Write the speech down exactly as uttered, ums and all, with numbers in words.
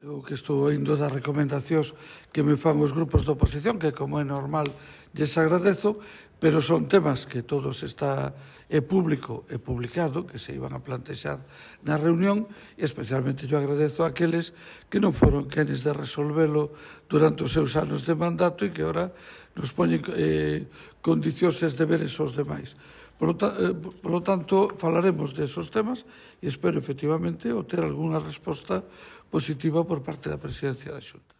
Eu que estou indo das recomendacións que me fan os grupos da oposición, que como é normal lles agradezo, pero son temas que todos está é público e publicado, que se iban a plantexar na reunión, e especialmente eu agradezo a aqueles que non foron quenes de resolvelo durante os seus anos de mandato e que ora nos poñen eh, condicións e deberes aos demais. Por lo, eh, por lo tanto, falaremos de esos temas e espero efectivamente obter algunha resposta positiva por parte da Presidencia da Xunta.